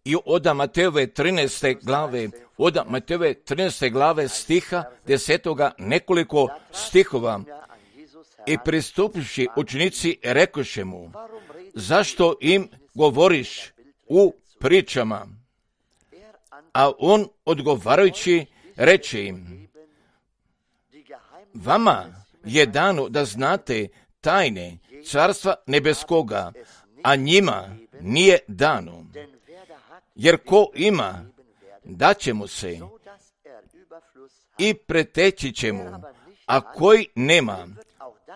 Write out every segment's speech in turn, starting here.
I od Matejove 13. glave stiha 10. nekoliko stihova. I pristupivši učenici rekoše mu, zašto im govoriš u pričama? A on odgovarajući reče im, vama je dano da znate tajne carstva nebeskoga, a njima nije dano. Jer ko ima, daće mu se i preteći će mu, a koji nema,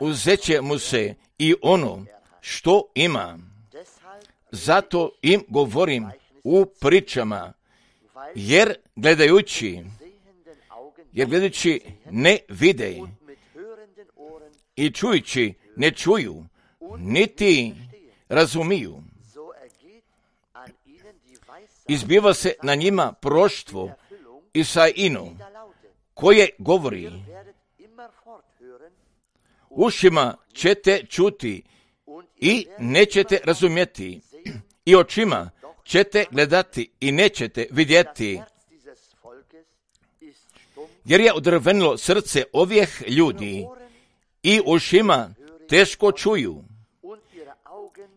uzet će mu se i ono što ima. Zato im govorim u pričama, jer gledajući ne vide i čujući ne čuju, niti razumiju. Izbiva se na njima proštvo Isaino, koje govori, ušima ćete čuti i nećete razumjeti, i očima ćete gledati i nećete vidjeti. Jer je odrvenilo srce ovih ljudi i ušima teško čuju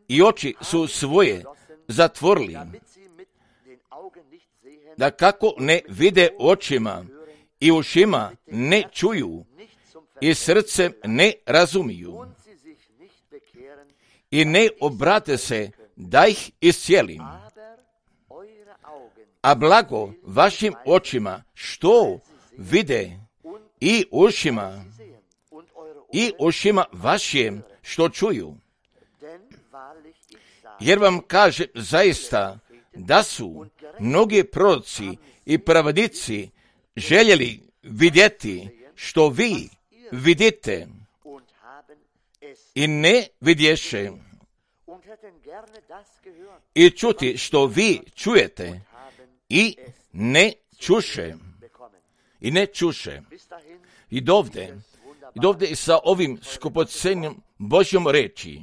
i oči su svoje zatvorili, da kako ne vide očima i ušima ne čuju i srcem ne razumiju i ne obrate se da ih iscijelim. A blago vašim očima što vide i ušima vašim što čuju. Jer vam kažem zaista da su mnogi proroci i pravedici željeli vidjeti što vi vidite i ne vidješe, i čuti što vi čujete i ne čuše. I dovde i sa ovim skupocenim Božjom reči.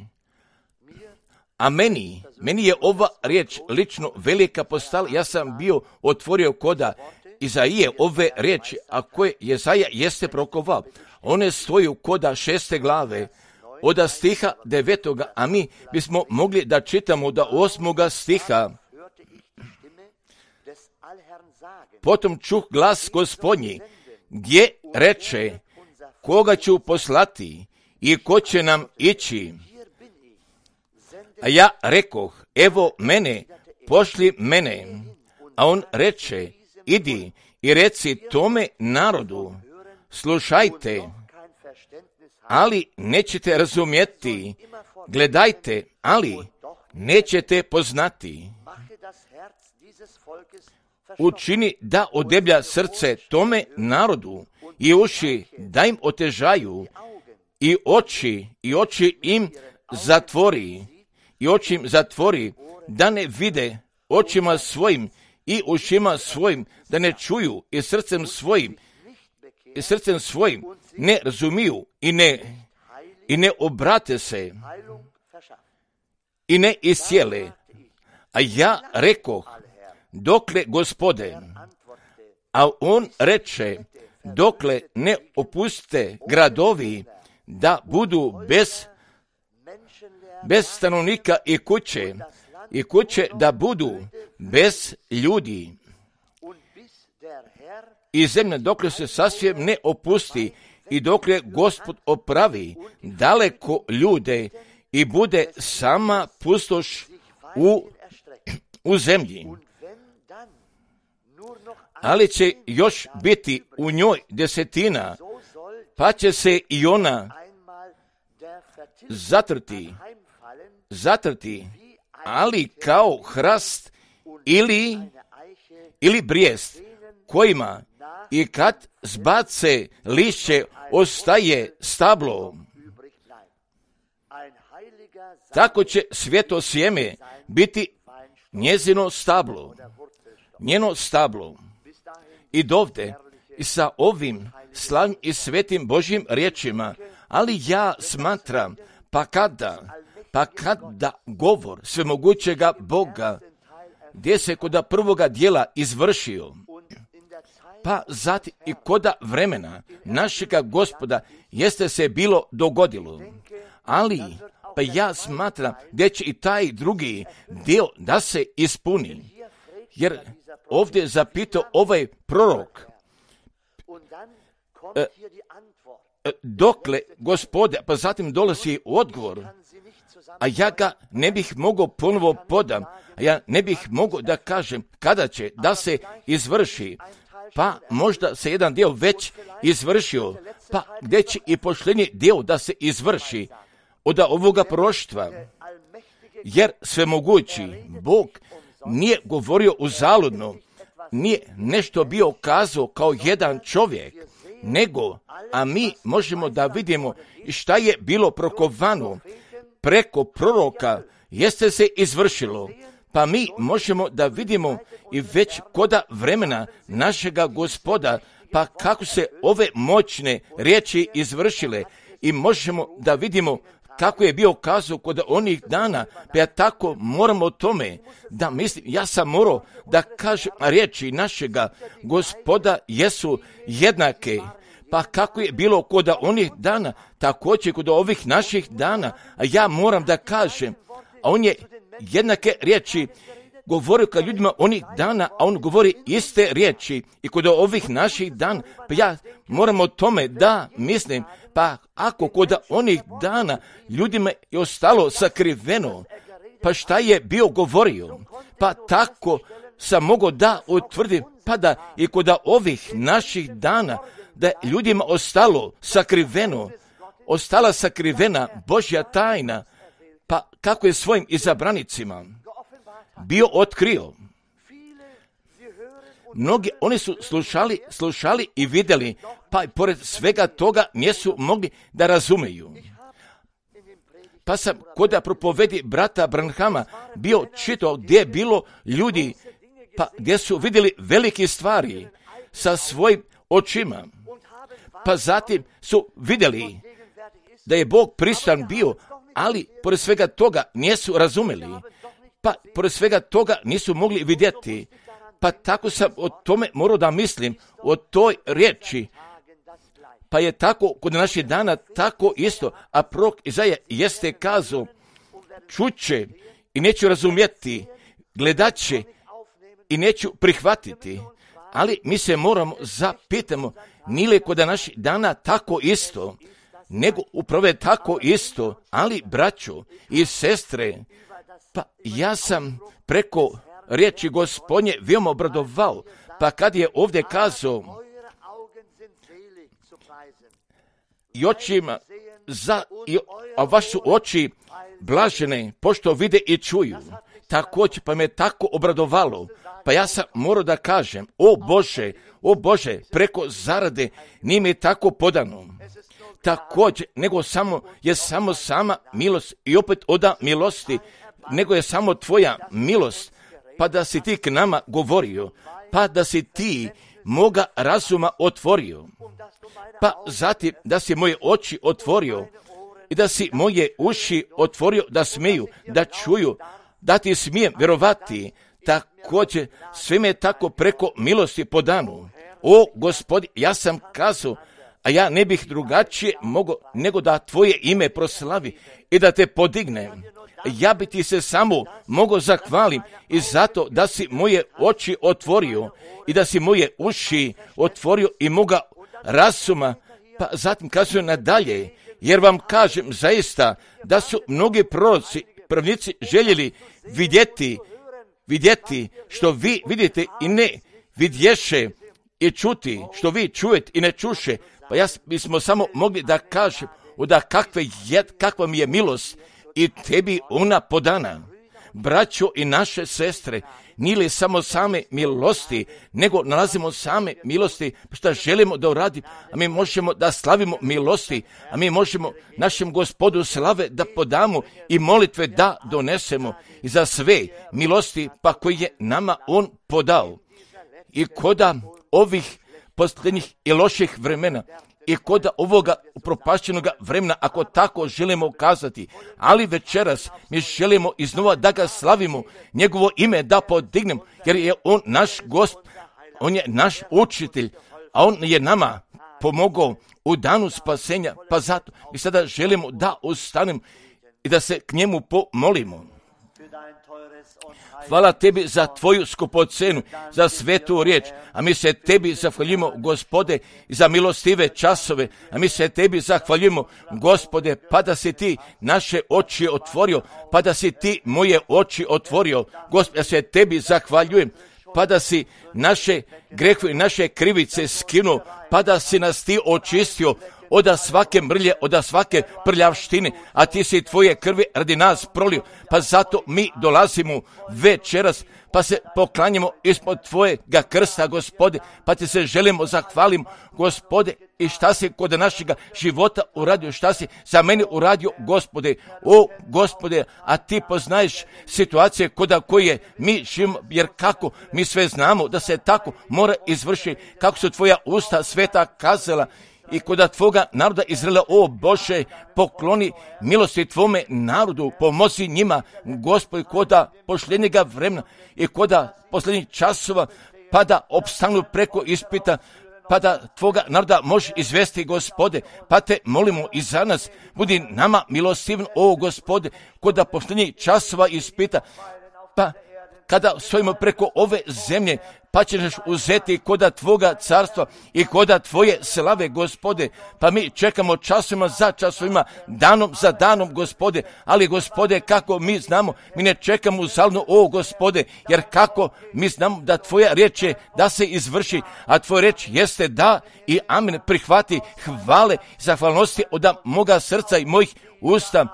A meni je ova riječ lično velika postala. Ja sam bio otvorio koda Izaije ove riječi, a koje Jesaja jeste prokovao. One stoju koda 6. glave, od stiha 9. A mi bismo mogli da čitamo do 8. stiha. Potom čuh glas Gospodnji, gdje reče, koga ću poslati i ko će nam ići? A ja rekoh, evo mene, pošli mene. A on reče, idi i reci tome narodu, slušajte, ali nećete razumjeti, gledajte, ali nećete poznati. Učini da odeblja srce tome narodu i uši da im otežaju i oči im zatvori da ne vide očima svojim i ušima svojim da ne čuju i srcem svojim ne razumiju i ne obrate se i ne iscijele. A ja rekoh, dokle Gospode? A on reče, dokle ne opuste gradovi da budu bez stanovnika i kuće da budu bez ljudi. I zemlja dokle se sasvim ne opusti i dokle Gospod opravi daleko ljude i bude sama pustoš u zemlji. Ali će još biti u njoj 10, pa će se i ona zatrti, ali kao hrast ili brijest, kojima i kad zbace lišće ostaje stablo. Tako će sveto sjeme biti njeno stablo. I dovde i sa ovim slavnim i svetim Božjim riječima, ali ja smatram, pa Pa kada govor svemogućega Boga, gdje se kod prvoga dijela izvršio, pa zatim i kod vremena našega Gospoda jeste se bilo dogodilo. Ali, pa ja smatram da će i taj drugi dio da se ispuni. Jer ovdje je zapitao ovaj prorok, dokle Gospode, pa zatim dolazi odgovor, a ja ga ne bih mogao ponovo podam, a ja ne bih mogao da kažem kada će da se izvrši, pa možda se jedan dio već izvršio, pa gdje će i posljednji dio da se izvrši od ovoga proroštva, jer svemogući Bog nije govorio uzaludno, nije nešto bio kazao kao jedan čovjek, nego, a mi možemo da vidimo šta je bilo prokovano preko proroka, jeste se izvršilo, pa mi možemo da vidimo i već koda vremena našega Gospoda, pa kako se ove moćne riječi izvršile i možemo da vidimo kako je bio kazao kod onih dana, pa ja tako moram o tome da mislim, ja sam morao da kažem riječi našega Gospoda jesu jednake, pa kako je bilo kod onih dana, također kod ovih naših dana, a ja moram da kažem, a on je jednake riječi govorio ka ljudima onih dana, a on govori iste riječi i kod ovih naših dana, pa ja moram o tome da mislim, pa ako kod onih dana ljudima je ostalo sakriveno, pa šta je bio govorio, pa tako sam mogao da utvrdim, pa da i kod ovih naših dana, da ljudima ostalo sakriveno, ostala sakrivena Božja tajna, pa kako je svojim izabranicima bio otkrio. Mnogi, oni su slušali i vidjeli, pa i pored svega toga nisu mogli da razumeju. Pa sam kod propovedi brata Branhama bio čitao gdje je bilo ljudi, pa gdje su vidjeli velike stvari sa svojim očima. Pa zatim su vidjeli da je Bog prisutan bio, ali pored svega toga nisu razumeli. Pa pored svega toga nisu mogli vidjeti. Pa tako sam o tome morao da mislim, o toj riječi. Pa je tako kod naših dana tako isto, a prorok Izaja jeste kazao, čuće i neću razumjeti, gledat će i neću prihvatiti. Ali mi se moramo zapitamo, nije li kod naših dana tako isto, nego upravo je tako isto, ali braćo i sestre, pa ja sam preko riječi Gospodnje veoma obradovao, pa kad je ovdje kazao i očima a vaše su oči blažene pošto vide i čuju, također pa me tako obradovalo, pa ja sam morao da kažem, o Bože, preko zarade nije mi tako podano. Također, nego je samo sama milost i opet oda milosti, nego je samo tvoja milost, pa da si ti k nama govorio, pa da si ti moga razuma otvorio, pa zatim da si moje oči otvorio i da si moje uši otvorio da smiju, da čuju, da ti smijem vjerovati. Također, sve me tako preko milosti podanu. O Gospodi, ja sam kazao, a ja ne bih drugačije mogao nego da tvoje ime proslavi i da te podignem. Ja bi ti se samo mogao zahvalim i zato da si moje oči otvorio i da si moje uši otvorio i moga razuma, pa zatim kazuje nadalje, jer vam kažem zaista da su mnogi proroci, pravnici željeli vidjeti što vi vidite i ne vidješe i čuti što vi čujete i ne čuše, pa bismo samo mogli da kažem da kakva mi je milost i tebi ona podana. Braćo i naše sestre, nije li samo same milosti, nego nalazimo same milosti što želimo da uradimo, a mi možemo da slavimo milosti, a mi možemo našem Gospodu slave da podamo i molitve da donesemo i za sve milosti pa koje je nama On podao. I koda ovih posljednjih i loših vremena, i kod ovoga upropašćenoga vremena, ako tako želimo kazati. Ali večeras mi želimo iznova da ga slavimo, njegovo ime da podignemo, jer je on naš Gospod, on je naš učitelj, a on je nama pomogao u danu spasenja, pa zato mi sada želimo da ostanemo i da se k njemu pomolimo. Hvala tebi za tvoju skupocenu, za svetu riječ, a mi se tebi zahvaljujemo, Gospode, za milostive časove, a mi se tebi zahvaljujemo, Gospode, pa da si ti naše oči otvorio, pa da si ti moje oči otvorio, Gospode, ja se tebi zahvaljujem, pa da si naše grehe i naše krivice skinuo, pa da si nas ti očistio od svake mrlje, od svake prljavštine, a ti si tvoje krvi radi nas prolio, pa zato mi dolazimo večeras, pa se poklanjamo ispod tvojega krsta, Gospode, pa ti se želimo zahvalimo, Gospode, i šta si kod našega života uradio, šta si za mene uradio, Gospode, o Gospode, a ti poznaješ situacije kod koje mi živimo, jer kako mi sve znamo da se tako mora izvršiti, kako su tvoja usta sveta kazala, i kod tvoga naroda Izraela, o Bože, pokloni milosti tvome narodu, pomozi njima, Gospod, kod posljednjega vremena i kod posljednjih časova, pa da opstanu preko ispita, pa da tvoga naroda može izvesti, Gospode, pa te molimo i za nas, budi nama milostivan, o Gospode, kod posljednjih časova ispita, pa kada stojimo preko ove zemlje, pa ćeš uzeti koda tvoga carstva i koda tvoje slave, Gospode, pa mi čekamo časovima za časovima, danom za danom, Gospode, ali, Gospode, kako mi znamo, mi ne čekamo uzaludno, o Gospode, jer kako mi znamo da tvoja riječ je da se izvrši, a tvoja riječ jeste da i amen, prihvati hvale, zahvalnosti od moga srca i mojih usta,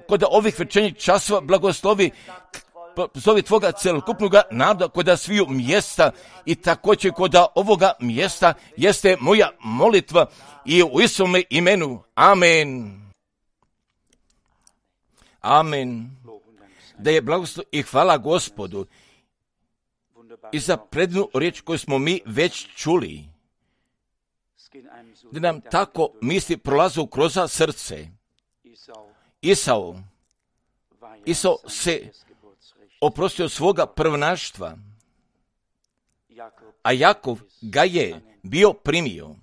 kod ovih večernjih časova blagoslovi zovi tvoga celokupnog naroda kod sviju mjesta i također kod ovoga mjesta jeste moja molitva i u Isome imenu. Amen. Amen. Da je blagoslov i hvala Gospodu i za predivnu riječ koju smo mi već čuli. Da nam tako misli prolazu kroz srce. Isao se oprostio svoga prvenaštva, a Jakov ga je bio primio,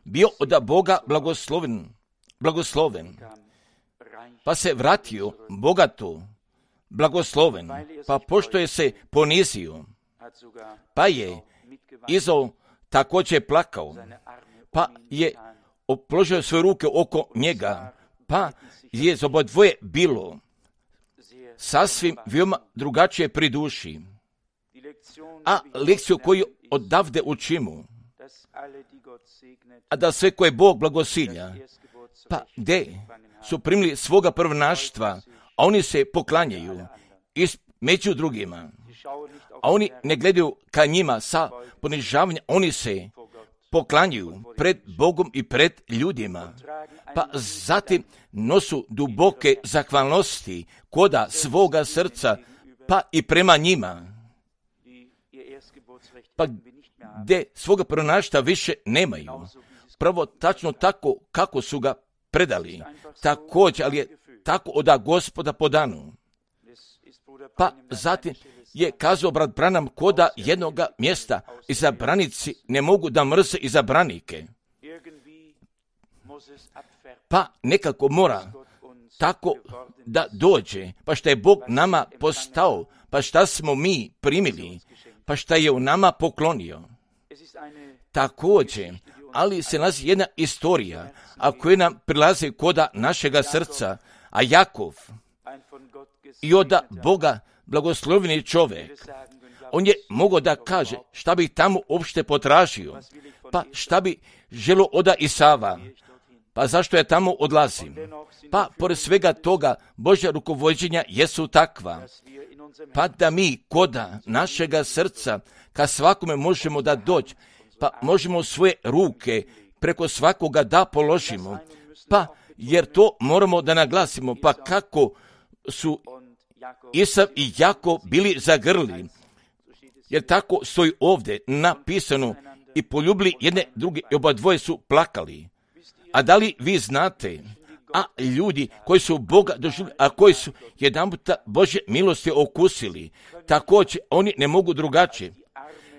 bio od Boga blagosloven, pa se vratio bogato, blagosloven, pa pošto je se ponizio, pa je Izao također plakao, pa je položio svoje ruke oko njega, pa je za obadvoje bilo sasvim veoma drugačije pri duši. A lekciju koju odavde učimo, a da sve koje Bog blagosilja, pa gdje su primili svoga prvenaštva, a oni se poklanjaju među drugima, a oni ne gledaju ka njima sa ponižavanjem, oni se poklanjaju pred Bogom i pred ljudima, pa zatim nosu duboke zahvalnosti koda svoga srca, pa i prema njima, pa gdje svoga prvenaštva više nemaju, prvo tačno tako kako su ga predali, također, ali je tako od Gospoda podano. Pa zatim je kazao brat Branham koda jednoga mjesta, izabranici ne mogu da mrze izabranike. Pa nekako mora tako da dođe, pa šta je Bog nama postao, pa šta smo mi primili, pa šta je u nama poklonio. Također, ali se nalazi jedna istorija, a koja nam prilazi koda našega srca, a Jakov i od Boga blagosloveni čovjek, on je mogao da kaže šta bi tamo uopšte potražio, pa šta bi želo od Isava, pa zašto ja tamo odlazim? Pa pored svega toga Božja rukovođenja jesu takva, pa da mi koda našega srca ka svakome možemo da doći, pa možemo svoje ruke preko svakoga da položimo, pa jer to moramo da naglasimo, pa kako su Isav i Jakov bili zagrli, jer tako stoji ovdje napisano i poljubili jedne druge i oba dvoje su plakali. A da li vi znate, a ljudi koji su Boga doživjeli, a koji su jedanputa Božje milosti okusili, također oni ne mogu drugačije,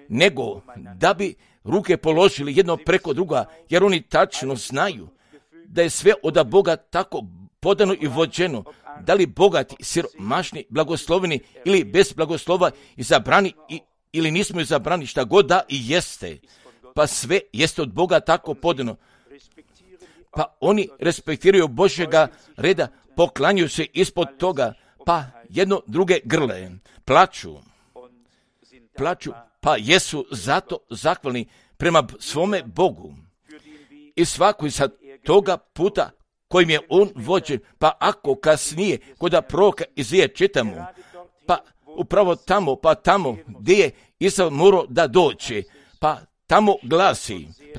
nego da bi ruke položili jedno preko druga, jer oni tačno znaju da je sve od Boga tako podano i vođeno, da li bogati, siromašni, blagosloveni ili bez blagoslova izabrani ili nismo izabrani, šta god da i jeste, pa sve jeste od Boga tako podano. Pa oni respektiraju Božjega reda, poklanjuju se ispod toga, pa jedno druge grle, plaču, pa jesu zato zahvalni prema svome Bogu. I svako sa toga puta kojim je on vođen, pa ako kasnije kod proroka Izaije čitamo, pa upravo tamo gdje je Isav morao da dođe, pa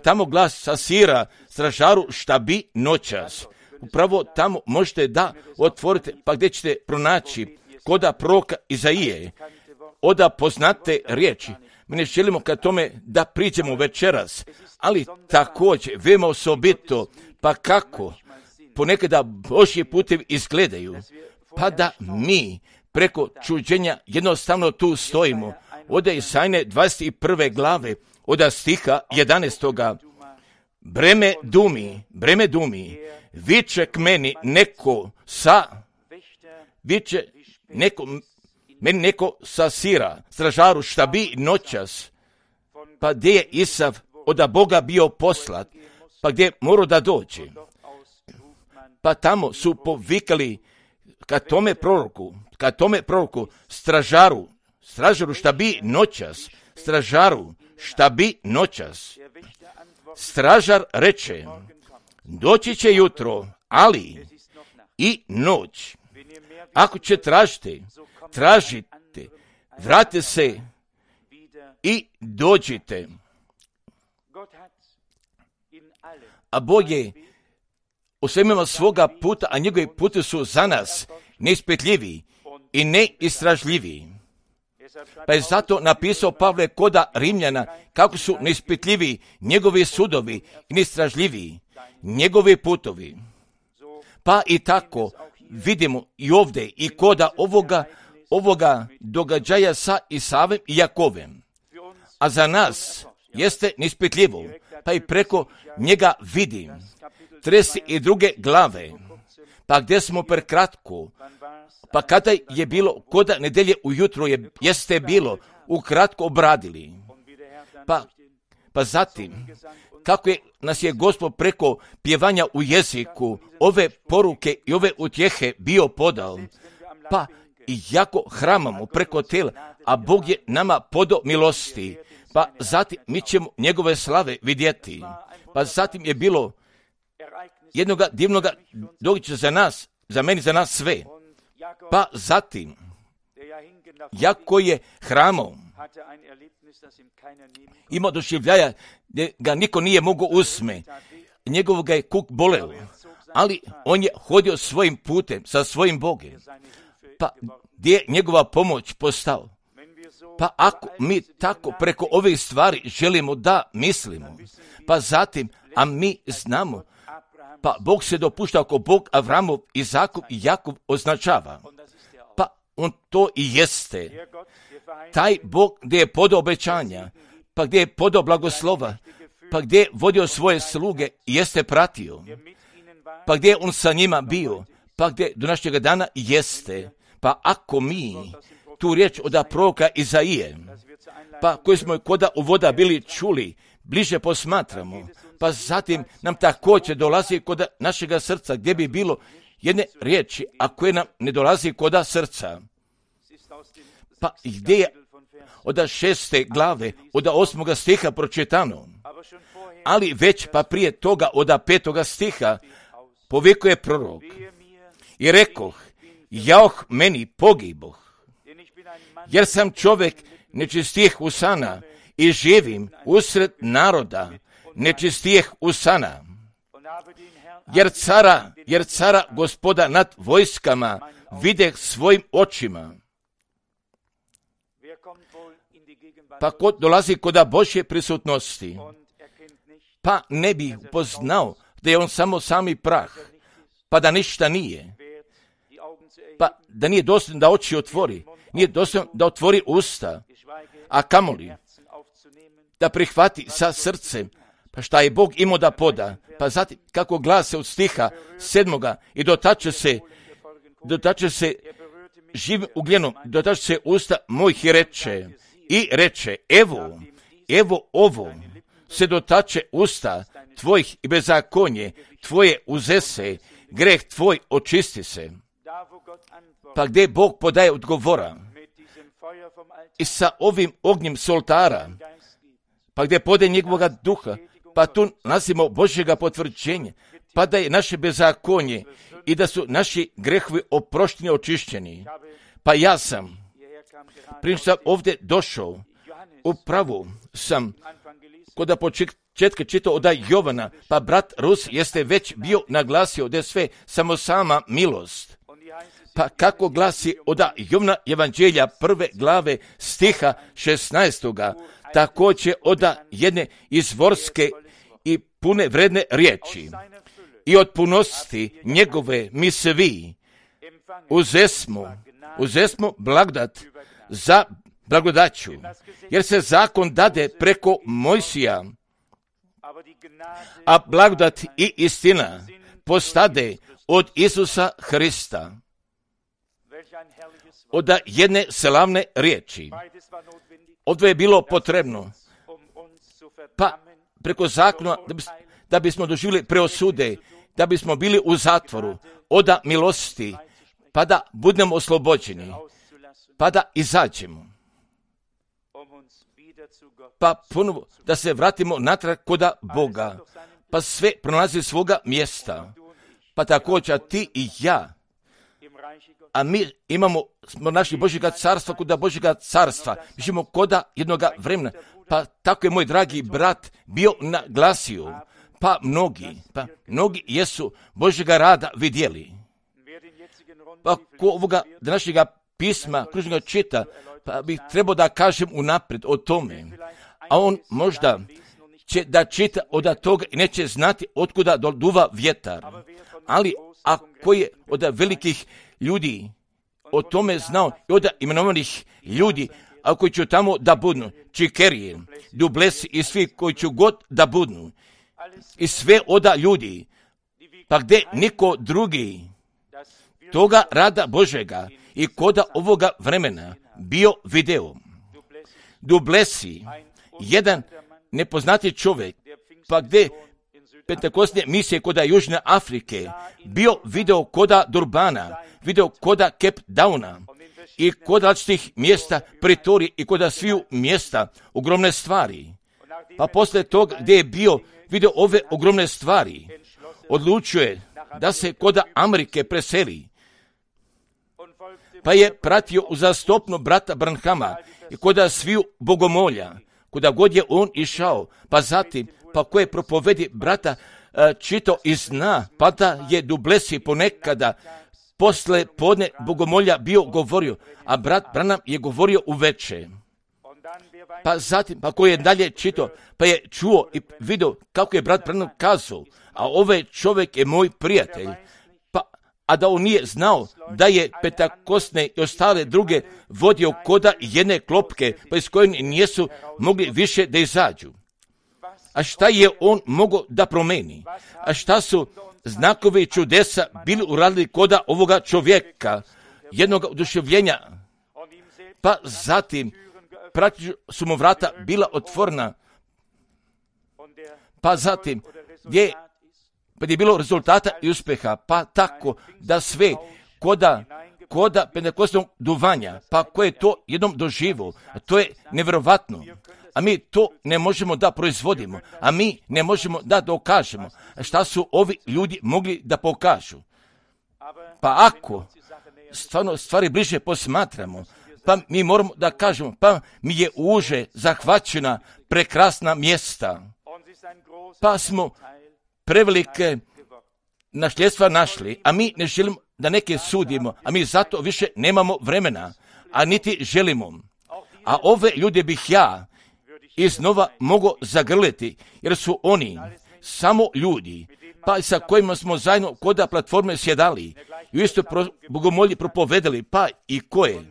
tamo glas sa Sira, stražaru šta bi noćas. Upravo tamo možete da otvorite, pa gdje ćete pronaći koda proroka Izaije, oda poznate riječi. Mi ne želimo ka tome da priđemo večeras, ali također veoma osobito, pa kako ponekada Božji putevi izgledaju, pa da mi preko čuđenja jednostavno tu stojimo. Oda Isajne 21. glave, oda stiha 11. Breme dumi, viče k meni neko sa Sira, stražaru šta bi noćas, pa gdje je Isav od Boga bio poslat, pa gdje je morao da dođe. Pa tamo su povikali ka tome proroku, stražaru šta bi noćas, stražaru šta bi noćas. Stražar reče, doći će jutro, ali i noć. Ako će tražite, vratite se i dođite. A Bog je u svemima svoga puta, a njegovi puti su za nas neispitljivi i neistražljivi. Pa je zato napisao Pavle koda Rimljana kako su neispitljivi njegovi sudovi i neistražljivi njegovi putovi. Pa i tako vidimo i ovdje i koda ovoga događaja sa Isavem i Jakovem. A za nas jeste neispitljivo, pa i preko njega vidim 32. glave, pa gdje smo prekratko, pa kada je bilo koda nedelje ujutro jeste bilo ukratko obradili. Pa zatim, kako nas je Gospod preko pjevanja u jeziku ove poruke i ove utjehe bio podao, pa i jako hramamo preko tela, a Bog je nama podao milosti, pa zatim mi ćemo njegove slave vidjeti. Pa zatim je bilo jednoga divnoga događaja za nas, za meni, za nas sve. Pa zatim, jako je hramao, imao doživljaja gdje ga niko nije mogao usme, njegovog ga je kuk boleo, ali on je hodio svojim putem, sa svojim Bogom, pa gdje je njegova pomoć postao. Pa ako mi tako preko ovih stvari želimo da mislimo, pa zatim, a mi znamo, pa Bog se dopušta ako Bog Avramov, Izakov i Jakov označava. Pa on to i jeste. Taj Bog gdje je podao obećanja, pa gdje je podao blagoslova, pa gdje je vodio svoje sluge i jeste pratio, pa gdje je on sa njima bio, pa gdje do našega dana jeste. Pa ako mi tu riječ od proroka Izaije, pa koju smo koda uvoda bili čuli, bliže posmatramo, pa zatim nam također dolazi kod našega srca, gdje bi bilo jedne riječi, a koje nam ne dolazi kod srca. Pa gdje je od 6. glave, od 8. stiha pročitano, ali već pa prije toga od 5. stiha povikuje prorok i rekoh, jaoh meni pogiboh, jer sam čovjek nečistih usana i živim usred naroda nečistih usana, jer cara Gospoda nad vojskama videh svojim očima. pa ko dolazi kod Božje prisutnosti, pa ne bi upoznao da je on samo sami prah, pa da ništa nije, pa da nije dostojan da oči otvori, nije dostojan da otvori usta, a kamoli da prihvati sa srcem, pa šta je Bog imao da poda, pa zatim kako glase od stiha 7. i dotače se živim ugljenom, dotače se usta mojih i reče, evo ovo se dotače usta tvojih i bezakonje tvoje uzese, greh tvoj očisti se. Pa gdje Bog podaje odgovora i sa ovim ognjem s oltara, pa gdje podaje njegovoga duha, pa tu nalazimo Božjega potvrđenja, pa da je naše bezakonje i da su naši grehovi oprošteni, očišćeni. Pa ja sam, prije što sam ovdje došao, upravo sam kod početka čitao od Jovana, pa brat Rus jeste već bio naglasio da je sve samo sama milost. Pa kako glasi od Jovana Evanđelja 1. glave stiha 16. također od jedne izvorske i pune vredne riječi. I od punosti njegove mi svi uzesmo blagodat za blagodaću, jer se zakon dade preko Mojsija, a blagodat i istina postade od Isusa Hrista. Od jedne slavne riječi. Ovdje je bilo potrebno, pa preko zakona da bismo doživjeli preosude, da bismo bili u zatvoru, od milosti, pa da budemo oslobođeni, pa da izađemo. Pa ponovo da se vratimo natrag kod Boga, pa sve pronalazi svoga mjesta, pa također ti i ja, a mi smo našli Božjega carstva kod Božjega carstva, mi živimo kod jednoga vremena, pa tako je moj dragi brat bio naglasio, pa mnogi jesu Božjega rada vidjeli. Pa ko ovoga današnjega pisma kružnoga čita, pa bih trebao da kažem unaprijed o tome, a on možda će da čita od toga i neće znati otkuda duva vjetar, ali ako je od velikih ljudi o tome znao i od imenovanih ljudi, a koji će tamo da budnu, Čikerije, Dublesi i svi koji će god da budnu, i sve od ljudi, pa gdje niko drugi toga rada Božega i koda ovoga vremena bio video. Dublesi, jedan nepoznati čovjek, pa gdje pentekostne misije koda Južne Afrike, bio video koda Durbana, video koda Cape Downa i kod različitih mjesta Pretorije i koda sviju mjesta ogromne stvari. Pa poslije toga gdje je bio video ove ogromne stvari, odlučuje da se koda Amerike preseli. Pa je pratio uzastopno brata Branhama i koda sviju bogomolja, kuda god je on išao, pa zatim, pa koje propovedi brata čitao i zna, pa da je Dublesi ponekada posle podne bogomolja bio govorio, a brat Branham je govorio uveče. Pa zatim, pa koji je dalje čitao, pa je čuo i vidio kako je brat Branham kazao, a ovaj čovjek je moj prijatelj, a da on nije znao da je Pentekostne i ostale druge vodio koda jedne klopke, pa iz koje nisu mogli više da izađu. A šta je on mogao da promeni? A šta su znakovi čudesa bili uradili koda ovoga čovjeka, jednog oduševljenja? Pa zatim, praktično su mu vrata bila otvorena, pa zatim, gdje je bilo rezultata i uspjeha, pa tako da sve koda pentekostnog duvanja, pa koje je to jednom doživo, to je nevjerovatno. A mi to ne možemo da proizvodimo, a mi ne možemo da dokažemo. Šta su ovi ljudi mogli da pokažu? Pa ako stvarno stvari bliže posmatramo, pa mi moramo da kažemo, pa mi je uže zahvaćena prekrasna mjesta, pa smo prevelike nasljedstva našli, a mi ne želimo da neke sudimo, a mi zato više nemamo vremena, a niti želimo. a ove ljude bih ja iznova mogao zagrliti, jer su oni samo ljudi, pa sa kojima smo zajedno kod platforme sjedali i u isto bogomolji propovedali, pa i koje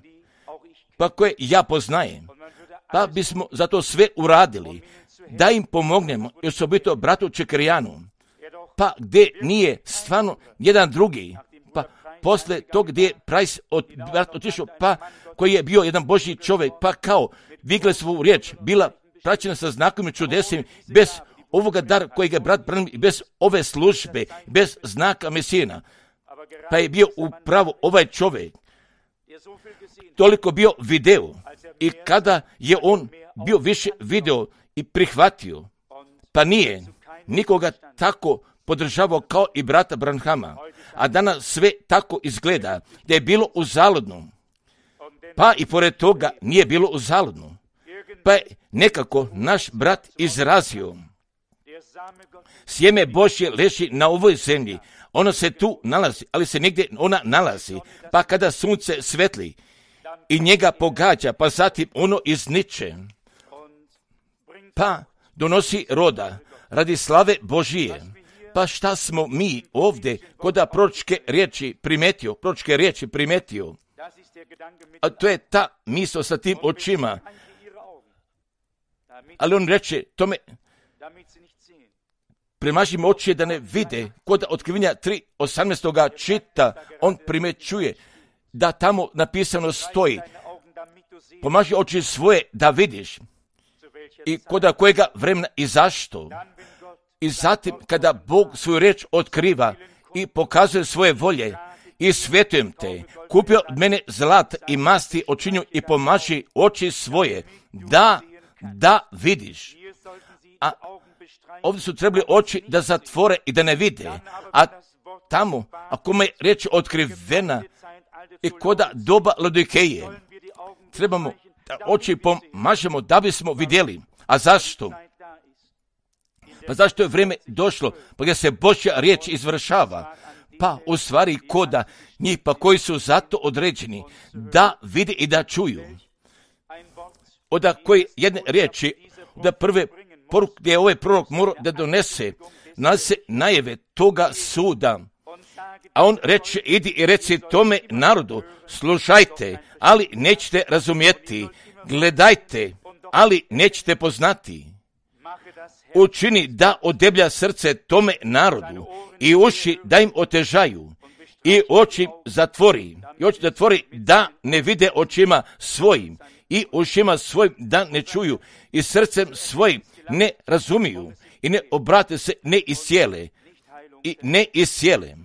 ja poznajem, pa bismo zato sve uradili, da im pomognemo, i osobito bratu Čekrijanu, pa gdje nije stvarno jedan drugi, pa posle tog gdje je Price otišao, pa koji je bio jedan Božji čovjek, pa kao Viglesovu riječ bila praćena sa znakom i čudesima, bez ovoga dara kojeg je brat Branham, bez ove službe, bez znaka Mesijina, pa je bio upravo ovaj čovjek toliko bio video, i kada je on bio više video i prihvatio, pa nije nikoga tako podržavao kao i brata Branhama, a danas sve tako izgleda da je bilo uzaludno, pa i pored toga nije bilo uzaludno, pa je nekako naš brat izrazio, sjeme Božje leži na ovoj zemlji, ono se tu nalazi, ali se negdje ona nalazi, pa kada sunce svetli i njega pogađa, pa zatim ono izniče, pa donosi roda radi slave Božije. Pa šta smo mi ovdje kod proročke riječi primetio? A to je ta misao sa tim očima. Ali on reče tome, premažimo oči da ne vide. Kod Otkrivenja 3:18 čita, on primećuje da tamo napisano stoji, pomaži oči svoje da vidiš, i kod kojega vremena i zašto. I zatim kada Bog svoju riječ otkriva i pokazuje svoje volje, i svetujem te, kupio od mene zlat i masti očinju i pomaži oči svoje da vidiš. A ovdje su trebali oči da zatvore i da ne vide, a tamo, ako me riječ otkrivena i koda doba Laodikeje, trebamo da oči pomažemo da bismo vidjeli. A zašto? Pa zašto je vrijeme došlo, pa gdje se Božja riječ izvršava, pa u stvari koda njih, pa koji su zato određeni da vide i da čuju. Od koji jedne riječi, da prve poruke gdje je ovaj prorok morao da donese, nalazi najave toga suda. A on reče, idi i reci tome narodu, slušajte, ali nećete razumjeti, gledajte, ali nećete poznati. Učini da odeblja srce tome narodu i uši da im otežaju i oči zatvori da ne vide očima svojim i ušima svojim da ne čuju i srcem svojim ne razumiju i ne obrate se, ne iscijele.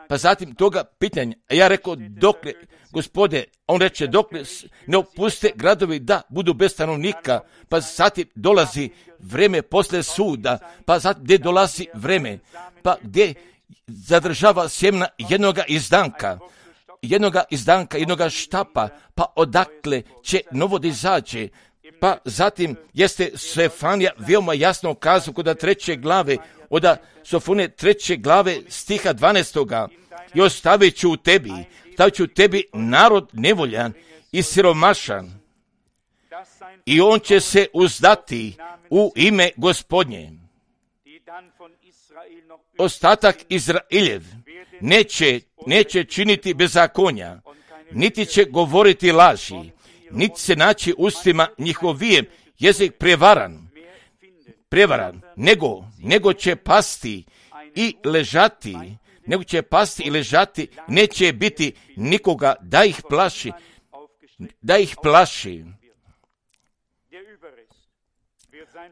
Pa zatim toga pitanja, a ja rekao, dokle, Gospode, on reče, dokle ne opuste gradovi da budu bez stanovnika, pa zatim dolazi vreme posle suda, pa zatim gdje dolazi vreme, pa gdje zadržava sjemna jednoga štapa, pa odakle će novo da izađe. Pa zatim jeste Stefanija veoma jasno kazao kod 3. glave, od Sofone 3. glave stiha 12. I ostavit ću u tebi narod nevoljan i siromašan, i on će se uzdati u ime Gospodnje. Ostatak Izraeljev neće činiti bezakonja, niti će govoriti laži, niti se naći ustima njihovijem jezik prevaran, nego će pasti i ležati, neće biti nikoga da ih plaši.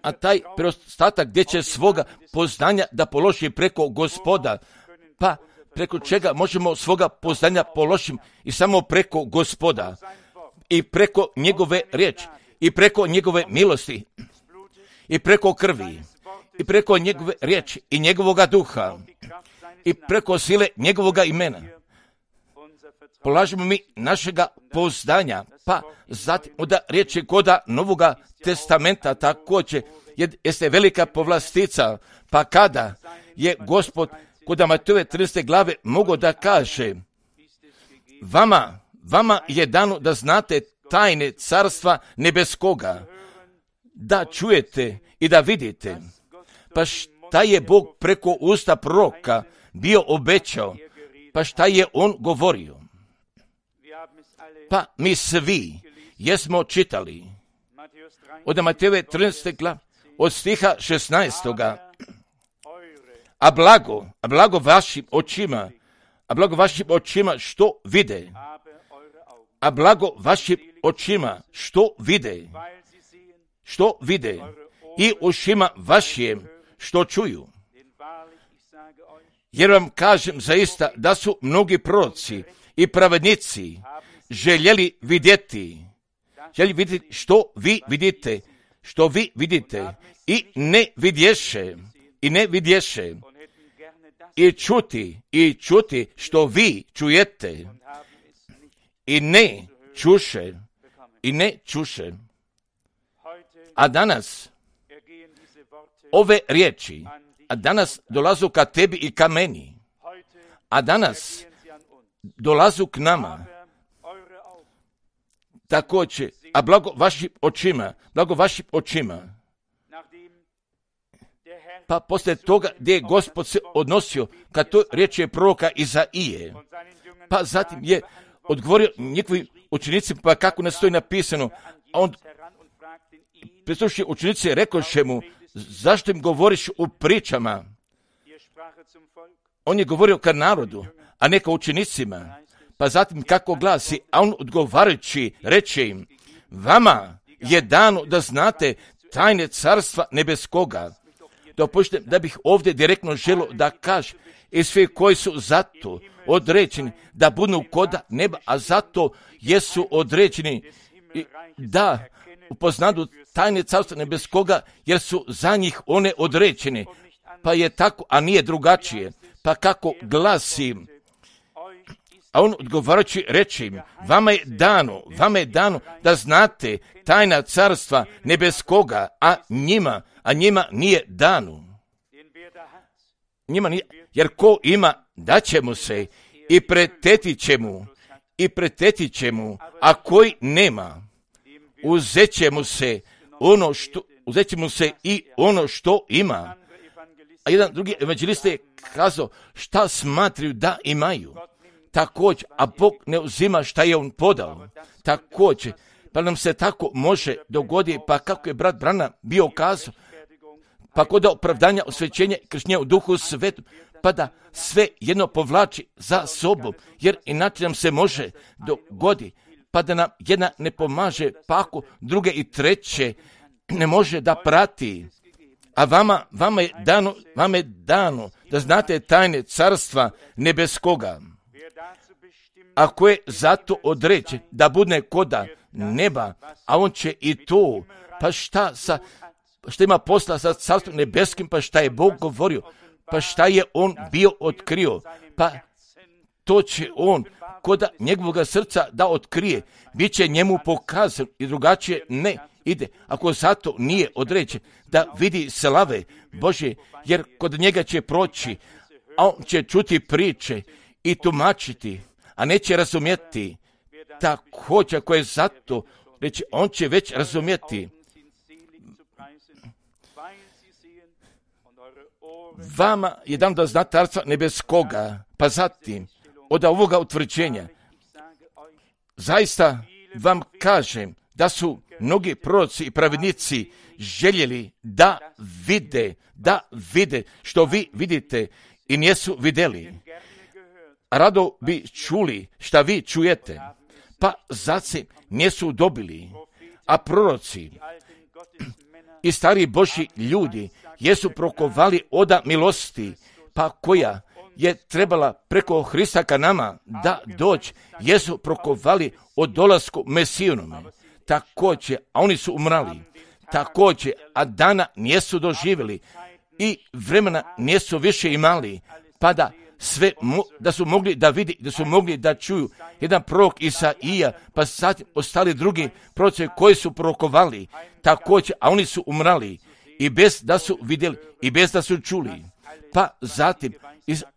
A taj preostatak gdje će svoga poznanja da položi preko Gospoda, pa preko čega možemo svoga poznanja položiti i samo preko Gospoda i preko njegove riječi i preko njegove milosti i preko krvi i preko njegove riječi i njegovoga duha i preko sile njegovoga imena. Polažemo mi našega poznanja, pa zatim od riječi koda Novoga testamenta također jeste velika povlastica, pa kada je Gospod kod Matejove 13. glave mogao da kaže, vama je dano da znate tajne carstva nebeskoga, da čujete i da vidite. Pa šta je Bog preko usta proroka bio obećao, pa šta je on govorio? Pa mi svi jesmo čitali od Matejeve 13. glave, od stiha 16. A blago vašim očima što vide. A blago vašim očima što vide. I ušima vašim što čuju. Jer vam kažem zaista da su mnogi proroci i pravednici željeli vidjeti što vi vidite i ne vidješe i čuti što vi čujete i ne čuše. A danas ove riječi, dolazu ka tebi i ka meni, a danas dolazu k nama. Također, a blago vašim očima. Pa poslije toga gdje je Gospod se odnosio kad to riječi je proroka Izaije, pa zatim je odgovorio njihovim učenicima, pa kako ne stoji napisano, a on prislušali učenici rekoše mu, zašto im govoriš u pričama? On je govorio ka narodu, a ne ka učenicima. Pa zatim kako glasi, a on odgovarajući reče im, vama je dano da znate tajne carstva nebeskoga. Dopustite da bih ovdje direktno želio da kažem, i svi koji su zato određeni da budu koda neba, a zato jesu određeni da upoznadu tajne carstva nebeskoga, jer su za njih one određene. Pa je tako, a nije drugačije. Pa kako glasi, a on odgovarajući reče im, vama je dano da znate tajna carstva nebeskoga, a njima nije dano. Jer ko ima, daće mu se i pretetit će mu, a koji nema, uzet će mu se i ono što ima. A jedan drugi evanđelist je kazao šta smatraju da imaju. Također, a Bog ne uzima šta je on podao. Također, pa nam se tako može dogoditi, pa kako je brat Branham bio kazao, pa kod opravdanja, osvećenja i krštenja u Duhu Svetom, pa da sve jedno povlači za sobom, jer inače nam se može dogoditi, pa da nam jedna ne pomaže, pa ako druge i treće ne može da prati. A vama je dano da znate tajne carstva nebeskoga. Ako je zato određen da bude koda neba, a on će i to, pa šta ima posla sa carstvom nebeskim, pa šta je Bog govorio, pa šta je on bio otkrio, pa to će on koda njegovog srca da otkrije, bit će njemu pokazan i drugačije ne ide, ako zato nije određen da vidi slave Božje, jer kod njega će proći, a on će čuti priče i tumačiti, a neće razumjeti. Također, ako je zato reći, on će već razumjeti. Vama je dano da znate carstva nebeskoga, pa zatim od ovoga utvrđenja zaista vam kažem da su mnogi proroci i pravednici željeli da vide što vi vidite i nisu vidjeli. Rado bi čuli šta vi čujete, pa zatim nisu dobili, a proroci i stari Božji ljudi jesu prokovali oda milosti, pa koja je trebala preko Hrista ka nama da doći, jesu prokovali o dolasku Mesijinome. Također, a oni su umrali. Također, a dana nisu doživjeli i vremena nisu više imali, pa da da su mogli da vidi, da su mogli da čuju. Jedan prorok Isaija, pa sad ostali drugi proroci koji su prorokovali, također, a oni su umrali i bez da su vidjeli i bez da su čuli. Pa zatim,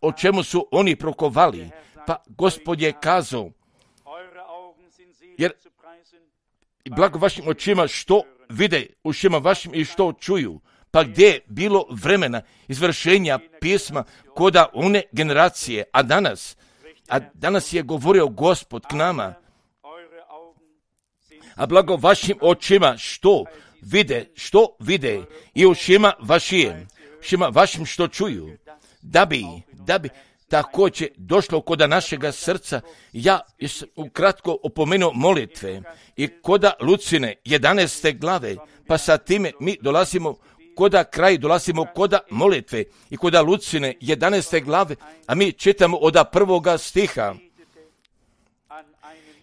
o čemu su oni prorokovali? Pa Gospod je kazao, jer i blago vašim očima što vide, ušima vašim i što čuju. Pa gdje je bilo vremena izvršenja pisma koda one generacije, a danas je govorio Gospod k nama, a blago vašim očima što vide i ušima vašim što čuju, da bi također došlo koda našega srca. Ja ukratko opomenuo molitve i koda Lucine 11. glave, pa sa time mi dolazimo koda molitve i koda Lucine 11. glave, a mi čitamo od 1. stiha.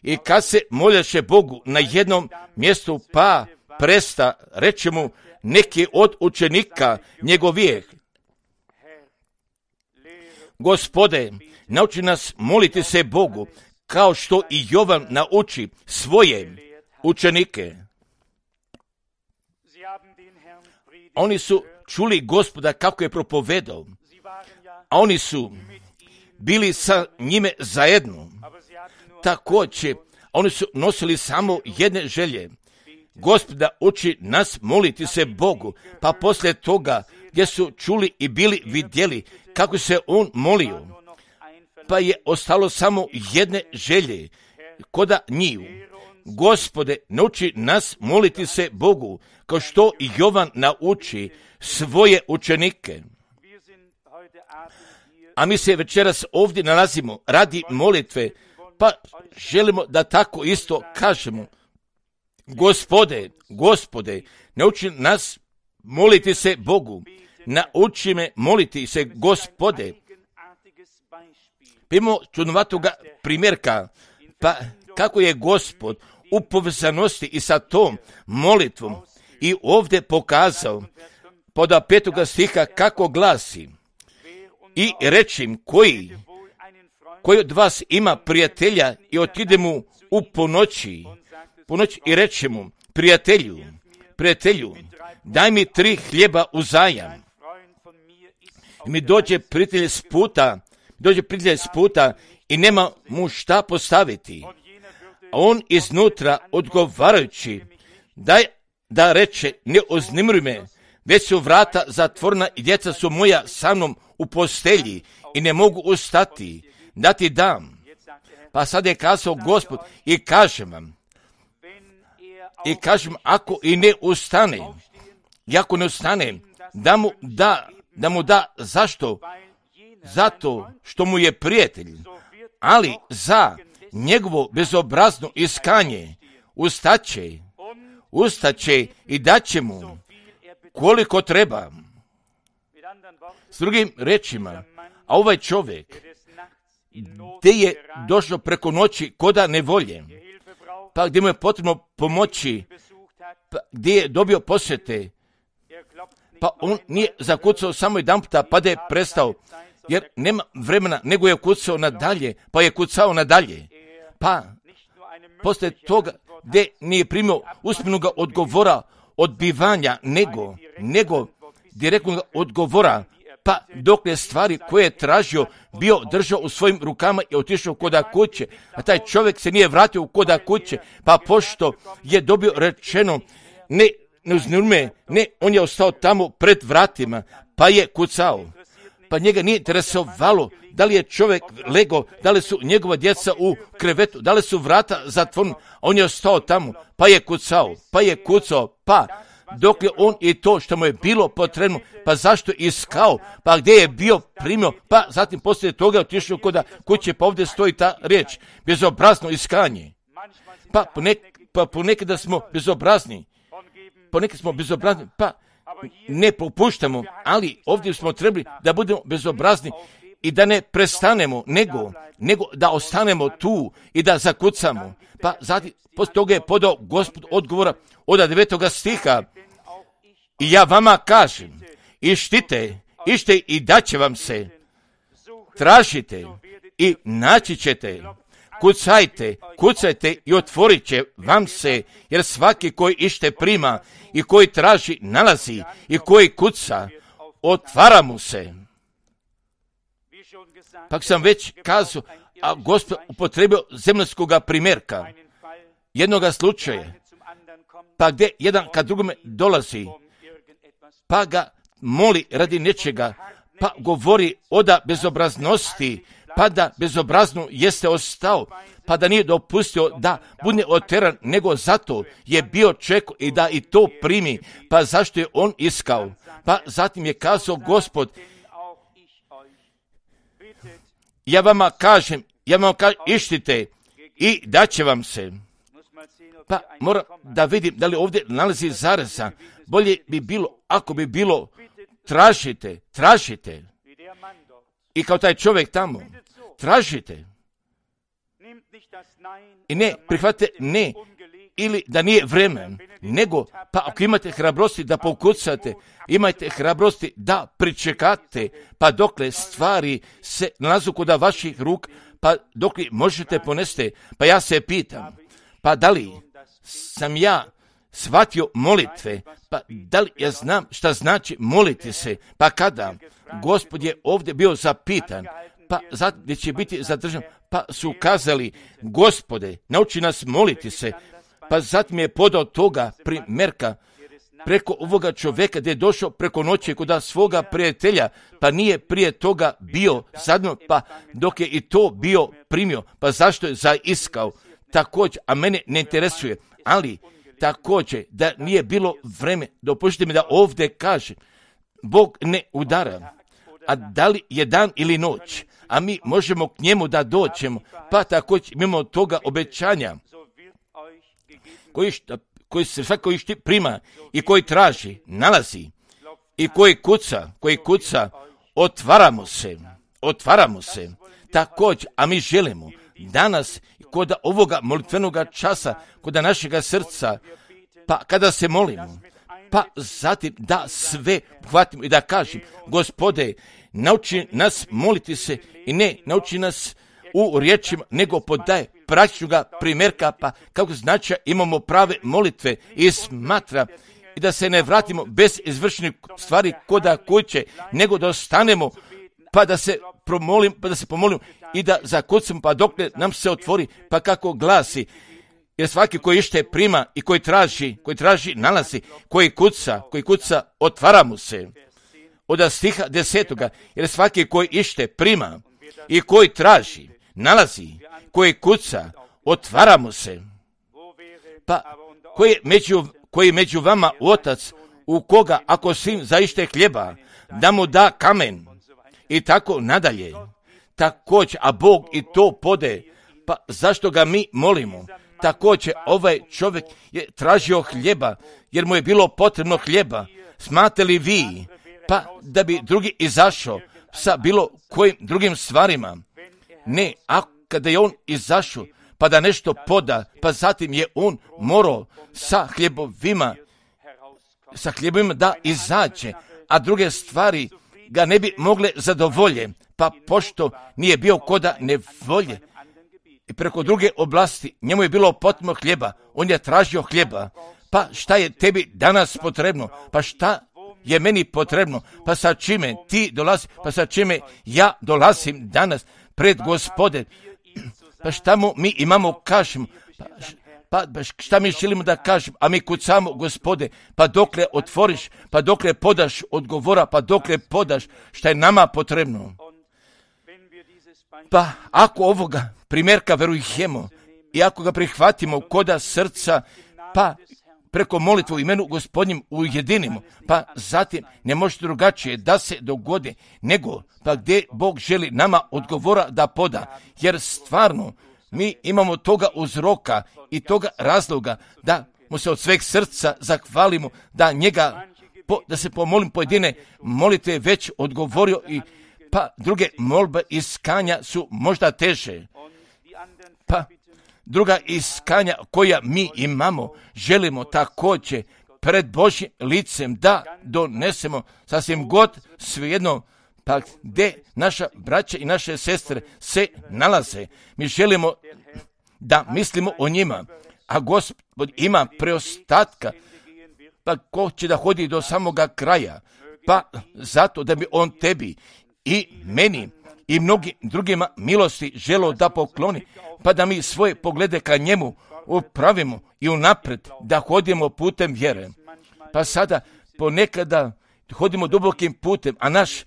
I kad se moljaše Bogu na jednom mjestu, pa presta, reče mu neki od učenika njegovijeh: Gospode, nauči nas moliti se Bogu, kao što i Jovan nauči svoje učenike. Oni su čuli Gospoda kako je propovedao, a oni su bili sa njime zajedno. Također, oni su nosili samo jedne želje: Gospoda, uči nas moliti se Bogu. Pa poslije toga, gdje su čuli i bili vidjeli kako se on molio, pa je ostalo samo jedne želje koda njiju: Gospode, nauči nas moliti se Bogu, kao što i Jovan nauči svoje učenike. A mi se večeras ovdje nalazimo radi molitve, pa želimo da tako isto kažemo: Gospode, nauči nas moliti se Bogu. Nauči me moliti se Gospode. Imamo čudnovatoga primjerka, pa kako je Gospod u povezanosti i sa tom molitvom i ovdje pokazao pod 5. stiha kako glasi: I rečim, koji od vas ima prijatelja i otide mu u ponoći i reče mu: prijatelju, daj mi 3 hljeba uzajam. I mi dođe prijatelj s puta i nema mu šta postaviti. A on iznutra odgovarajući da reče: ne uznemiruj me, već su vrata zatvorena i djeca su moja sa mnom u postelji i ne mogu ustati da ti dam. Pa sad je kazao Gospod: i kažem vam, ako i ne ustane, da mu da, zašto? Zato što mu je prijatelj, ali za njegovo bezobrazno iskanje ustaće i daće mu koliko treba. S drugim rečima, a ovaj čovjek gdje je došao preko noći koda nevolje, pa gdje mu je potrebno pomoći, pa gdje je dobio posjete, pa on nije zakucao samo jedan puta pa da je prestao, jer nema vremena, nego je kucao nadalje, pa je kucao nadalje. Pa poslije toga gdje nije primio usmenog odgovora odbivanja, nego direktnog odgovora, pa dok je stvari koje je tražio bio držao u svojim rukama i otišao koda kuće, a taj čovjek se nije vratio koda kuće, pa pošto je dobio rečeno ne uznemiruj me, on je ostao tamo pred vratima, pa je kucao. Pa njega nije interesovalo da li je čovjek legao, da li su njegova djeca u krevetu, da li su vrata zatvorena, on je ostao tamo, pa je kucao, pa dok je on i to što mu je bilo potrebno, pa zašto iskao, pa gdje je bio primio, pa zatim poslije toga je otišao koda kuće, pa ovdje stoji ta riječ: bezobrazno iskanje. Pa ponekada smo bezobrazni, pa ne popuštamo, ali ovdje smo trebali da budemo bezobrazni i da ne prestanemo, nego da ostanemo tu i da zakucamo. Pa zatim, poslije toga je podao Gospod odgovora od 9. stiha: i ja vama kažem, ište i daće vam se, tražite i naći ćete, kucajte i otvorit će vam se, jer svaki koji ište prima i koji traži nalazi i koji kuca, otvara mu se. Pa sam već kazao, a Gospod upotrebio zemaljskoga primjerka, jednoga slučaja, pa gdje jedan kad drugome dolazi, pa ga moli radi nečega, pa govori oda bezobraznosti, pa da bezobrazno jeste ostao, pa da nije dopustio da bude oteran, nego zato je bio čekao i da i to primi, pa zašto je on iskao. Pa zatim je kazao Gospod, ja vam kažem, ištite i daće vam se. Pa moram da vidim da li ovdje nalazi zareza. Bolje bi bilo, ako bi bilo, tražite. I kao taj čovjek tamo, tražite. I ne, prihvatite ne, ili da nije vremen, nego, pa ako imate hrabrosti da pokucate, imajte hrabrosti da pričekate, pa dokle stvari se nalazu kod vaših ruk, pa dokle možete ponesti, pa ja se pitam, pa da li sam ja shvatio molitve, pa da li ja znam šta znači moliti se, pa kada Gospod je ovdje bio zapitan, pa zatim gdje će biti zadržan, pa su kazali, Gospode, nauči nas moliti se, pa zatim je podao toga primjerka preko ovoga čovjeka gdje je došao preko noći kod svoga prijatelja, pa nije prije toga bio zadnjo, pa dok je i to bio primio, pa zašto je zaiskao, također, a mene ne interesuje, ali također da nije bilo vreme, dopustite mi da ovdje kažem, Bog ne udara, a da li je dan ili noć, a mi možemo k njemu da doćemo, pa također mimo toga obećanja, koji se svako prima i koji traži, nalazi, i koji kuca, otvaramo se, također, a mi želimo danas kod ovoga molitvenoga časa, kod našega srca, pa kada se molimo, pa zatim da sve hvatimo i da kažem, Gospode, nauči nas moliti se i ne nauči nas u riječima, nego podaje praktičnoga primjerka, pa kako znači imamo prave molitve i smatra i da se ne vratimo bez izvršenih stvari koda kuće, nego da ostanemo, pa da se pomolimo i da zakucamo, pa dok nam se otvori, pa kako glasi, jer svaki koji ište prima i koji traži nalazi, koji kuca, otvara mu se. Od stiha 10. Jer svaki koji ište prima i koji traži, nalazi, koji kuca, otvara mu se. Pa koji među vama otac, u koga ako sin zaište hljeba, da mu da kamen i tako nadalje. Također, a Bog i to pode, pa zašto ga mi molimo? Također, ovaj čovjek je tražio hljeba, jer mu je bilo potrebno hljeba. Smate li vi, pa da bi drugi izašao sa bilo kojim drugim stvarima? Ne, a kada je on izašao, pa da nešto poda, pa zatim je on morao sa hljebovima da izađe, a druge stvari ga ne bi mogle zadovolje, pa pošto nije bio koda nevolje i preko druge oblasti, njemu je bilo potrebno hljeba, on je tražio hljeba, pa šta je tebi danas potrebno, pa šta je meni potrebno, pa sa čime ti dolazi, pa sa čime ja dolazim danas pred Gospode, pa šta mu mi imamo kažemo, pa šta mi želimo da kažemo, a mi kucamo, Gospode, pa dokle otvoriš, pa dokle podaš odgovora, pa dokle podaš šta je nama potrebno. Pa ako ovoga primjerka verujemo i ako ga prihvatimo koda srca, pa preko molitvu imenu Gospodnjim ujedinimo, pa zatim ne može drugačije da se dogodi, nego pa gdje Bog želi nama odgovora da poda, jer stvarno mi imamo toga uzroka i toga razloga da mu se od sveg srca zahvalimo, da njega, da se pomolim pojedine molitve već odgovorio i pa druge molbe iskanja su možda teže. Pa druga iskanja koja mi imamo, želimo također pred Božjim licem da donesemo sasvim god svejedno, pa gdje naša braća i naše sestre se nalaze. Mi želimo da mislimo o njima, a Gospod ima preostatka, pa ko će da hodi do samoga kraja, pa zato da bi on tebi i meni i mnogim drugima milosti želo da pokloni, pa da mi svoje poglede ka njemu upravimo i unaprijed da hodimo putem vjere. Pa sada ponekada hodimo dubokim putem, a naš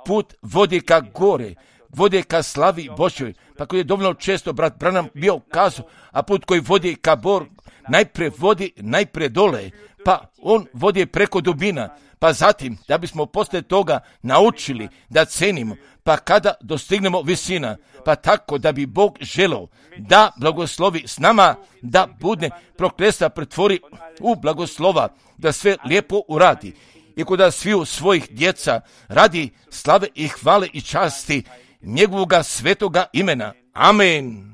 put vodi ka gore, vodi ka slavi Božjoj. Pa koji je dovoljno često brat Branham bio kazao, a put koji vodi ka Bor najprije vodi najprije dole, pa on vodi preko dubina, pa zatim da bismo poslije toga naučili da cenimo, pa kada dostignemo visina, pa tako da bi Bog želeo da blagoslovi s nama, da bude prokletstva pretvori u blagoslova, da sve lijepo uradi i kod sviju svojih djeca radi slave i hvale i časti njegovoga svetoga imena. Amen.